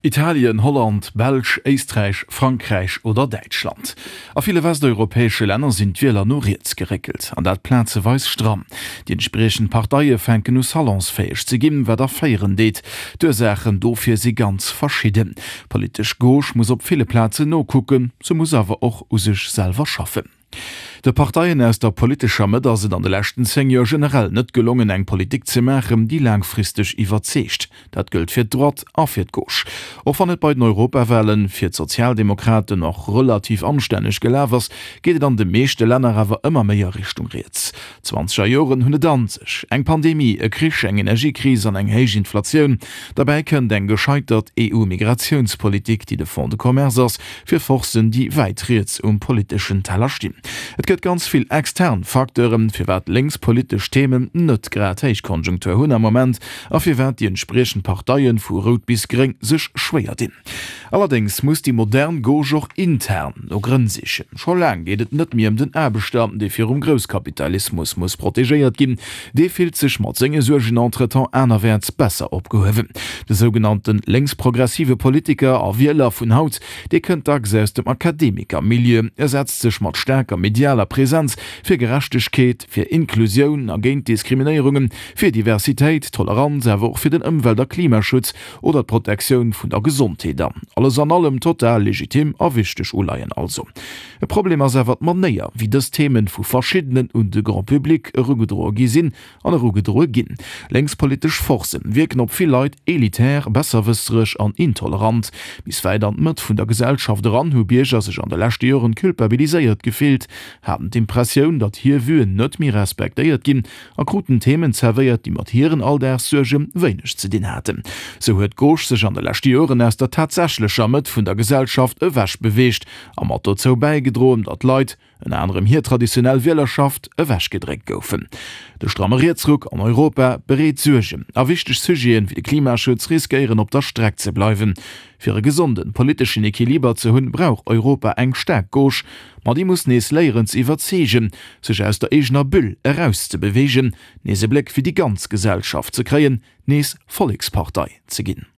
Italien, Holland, Belsch, Éisträich, Frankräich oder Däitschland. A ville westeuropäesche Länner sinn d'Wieler no riets geréckelt, an dat plazeweis stramm. Déi entspriechend Parteie fänken u salonsfäeg ze ginn, wat erféieren deet. D'Ursaachen dofir si ganz verschidden. D'politesch Gauche muss op ville Plazen nokucken, se muss awer och u sech selwer schaffen. De Parteien aus der politescher Mëtt ass et an de leschten 10 Joer generell net gelongen, eng Politik ze maachen, déi laangfristeg iwwerzeegt. Dat gëllt fir d'Droite a fir d'Gauche. Och wann et bei den Europawahlen fir d'Sozialdemokraten och relativ anstänneg gelaf ass, geet et an de meeschte Länner awer ëmmer méi a Richtung riets. D'zwanzeger Joren hunn et an sech, eng Pandemie, e Krich, eng Energiekris an eng héich Inflatioun. Derbäi kënnt eng gescheitert EU-Migratiounspolitik, déi de Fonds de commerce ass fir Forcen, déi wäit riets um politeschen Teller stinn. Et gëtt ganz vill extern Facteuren, firwat lénkspolitesch Themen net grad Héichkonjunktur hunn am Moment a firwat déi entspriechend Parteien, vu rout bis gréng, sech schwéier dinn. Allerdéngs muss déi modern Gauche och intern no Grënn sichen. Scho laang geet et net méi ëm den Aarbechter, dee virum Grousskapitalismus muss protegéiert ginn. Dee fillt sech mat senge Suergen entretemps anerwäerts besser opgehuewen. De sougenannte lénksprogressive Politiker a Wieler vun haut, dee kënnt dacks aus dem Akademikermilieu. E setzt sech mat staarker medialer Presenz fir Gerechtegkeet, fir Inklusioun a géint Diskriminéierungen, fir Diversitéit, Toleranz, awer och fir den Ëmwelt a Klimaschutz oder d'Protektioun vun der Gesondheet an. Alles an allem total legitim a wichteg Uleien also. E Problem ass awer d'Manéier, wéi dës Themen vu verschiddenen un de Grand public erugedroe gi sinn an erugedroe ginn. Lénkspolitesch Forcen wierken op vill Leit elitär, besserwëssereg an intolerant. Bis wäit an d'Mëtt vun der Gesellschaft eran hu Bierger sech an de leschte Joren culpabiliséiert gefillt, haten d'Impressioun, datt hir Vuen net méi respektéiert ginn a kruten Themen zerwéiert, déi mat hiren Alldagssuerge wéineg ze dinn haten. Sou huet d'Gauche sech an de leschte Joren aus der tatsächlecher Mëtt vun der Gesellschaft ewech beweegt a mat dozou bäigedroen, datt Leit, ënner anerem hir traditionell Wielerschaft, ewechgedréckt goufen. De stramme Rietsruck an Europa bereet Suergen a wichteg Sujeten, wéi de Klimaschutz, riskéieren op der Streck ze bleiwen. Fir e gesonden politeschen Equiliber ze hunn, brauch Europa eng staark Gauche, ma déi muss nees léieren ze iwwerzeegen, sech aus der eegener Bulle erauszebeweegen, nees e Bléck fir déi ganz Gesellschaft ze kréien, nees Vollekspartei ze ginn.